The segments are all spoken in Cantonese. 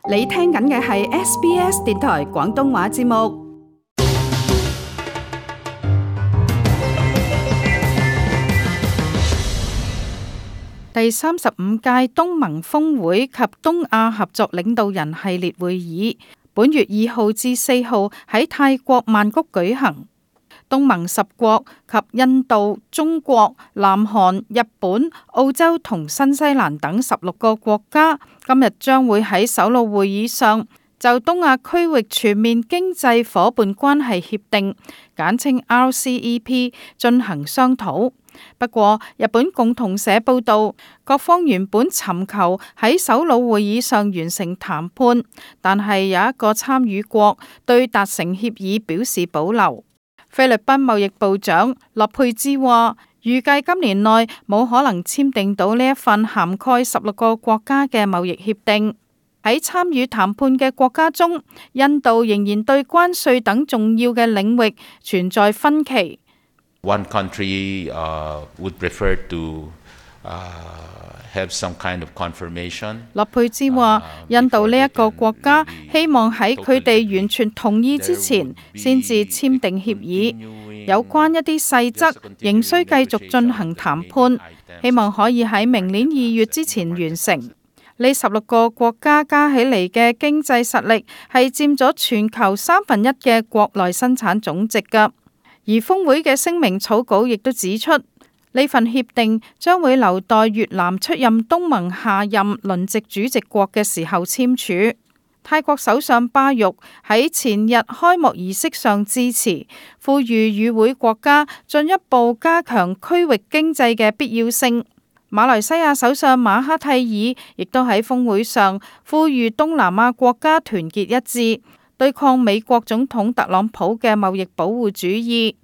你聽緊嘅係 SBS 電台廣東話節目。第35屆東盟峰會及東亞合作領導人系列會議，本月2號至4號喺泰國曼谷舉行。東盟10國及印度、中國、南韓、日本、澳洲同新西蘭等16個國家，今日將會喺首腦會議上就東亞區域全面經濟夥伴關係協定簡稱 RCEP 進行商討。不過，日本共同社報道，各方原本尋求喺首腦會議上完成談判，但係有一個參與國對達成協議表示保留。菲律賓貿易部長洛佩茲話，預計今年內冇可能簽訂到呢一份涵蓋16個國家嘅貿易協定。喺參與談判嘅國家中，印度仍然對關稅等重要嘅領域存在分歧。One country would prefer to have some kind of confirmation. 洛佩茲話，印度呢一個國家希望喺佢哋完全同意之前，先至簽訂協議。有關一啲細則，仍需繼續進行談判，希望可以喺明年2月之前完成。呢16個國家加起嚟嘅經濟實力係佔咗全球1/3嘅國內生產總值㗎。而峰會嘅聲明草稿亦都指出，呢份協定將會留待越南出任東盟下任輪值主席國嘅時候簽署。泰國首相巴育喺前日開幕儀式上致辭，呼籲與會國家進一步加強區域經濟嘅必要性。馬來西亞首相馬哈蒂爾亦都喺峰會上呼籲東南亞國家團結一致，對抗美國總統特朗普嘅貿易保護主義。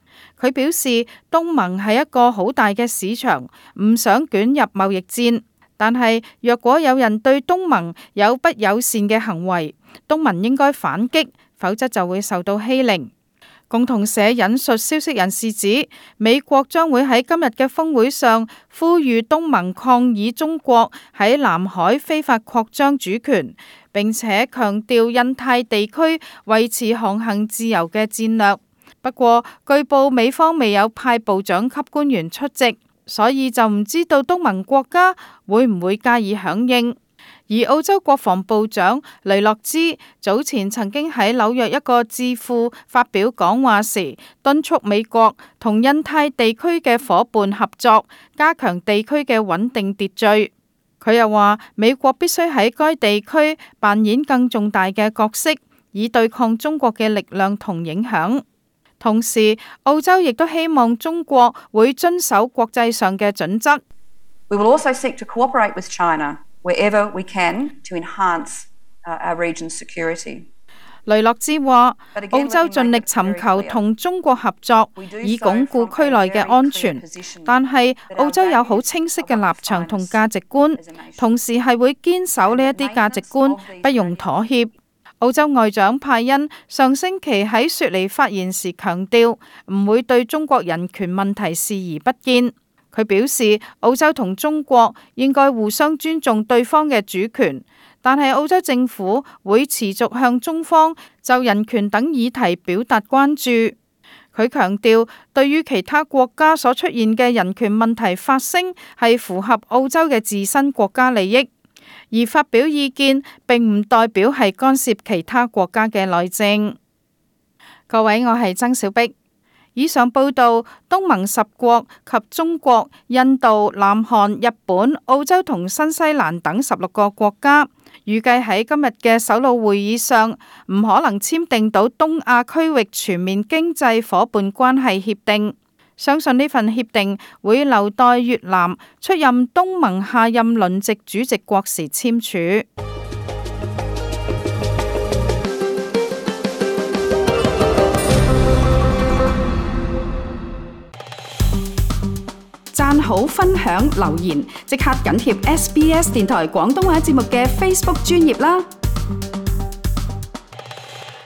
佢表示，東盟係一個好大嘅市場，唔想捲入貿易戰。但係若果有人對東盟有不友善嘅行為，東盟應該反擊，否則就會受到欺凌。共同社引述消息人士指，美國將會喺今日嘅峰會上呼籲東盟抗議中國喺南海非法擴張主權，並且強調印太地區維持航行自由嘅戰略。不過，據報美方未有派部長級官員出席，所以就唔知道東盟國家會唔會加以響應。而澳洲國防部長雷諾茲早前曾經喺紐約一個智庫發表講話時，敦促美國同印太地區嘅夥伴合作，加強地區嘅穩定秩序。佢又話，美國必須喺該地區扮演更重大嘅角色，以對抗中國嘅力量同影響。同時，澳洲亦都希望中國會遵守國際上嘅準則。We will also seek to cooperate with China wherever we can to enhance our region's security. 雷諾茲話，澳洲盡力尋求同中國合作，以鞏固區內嘅安全。但係澳洲有好清晰嘅立場同價值觀，同時係會堅守呢一啲價值觀，不容妥協。澳洲外長派恩上星期喺雪梨發言時強調，唔會對中國人權問題視而不見。佢表示，澳洲同中國應該互相尊重對方嘅主權，但係澳洲政府會持續向中方就人權等議題表達關注。佢強調，對於其他國家所出現嘅人權問題發聲，係符合澳洲嘅自身國家利益。而發表意見並唔代表係干涉其他國家嘅內政。各位，我係曾小碧。以上報道，東盟10國及中國、印度、南韓、日本、澳洲同新西蘭等16個國家，預計喺今日嘅首腦會議上唔可能簽訂到東亞區域全面經濟夥伴關係協定。相信呢份協定會留待越南出任東盟下任輪值主席國時簽署。讚好、分享、留言，即刻緊貼SBS 電台廣東話節目嘅 Facebook 專頁啦！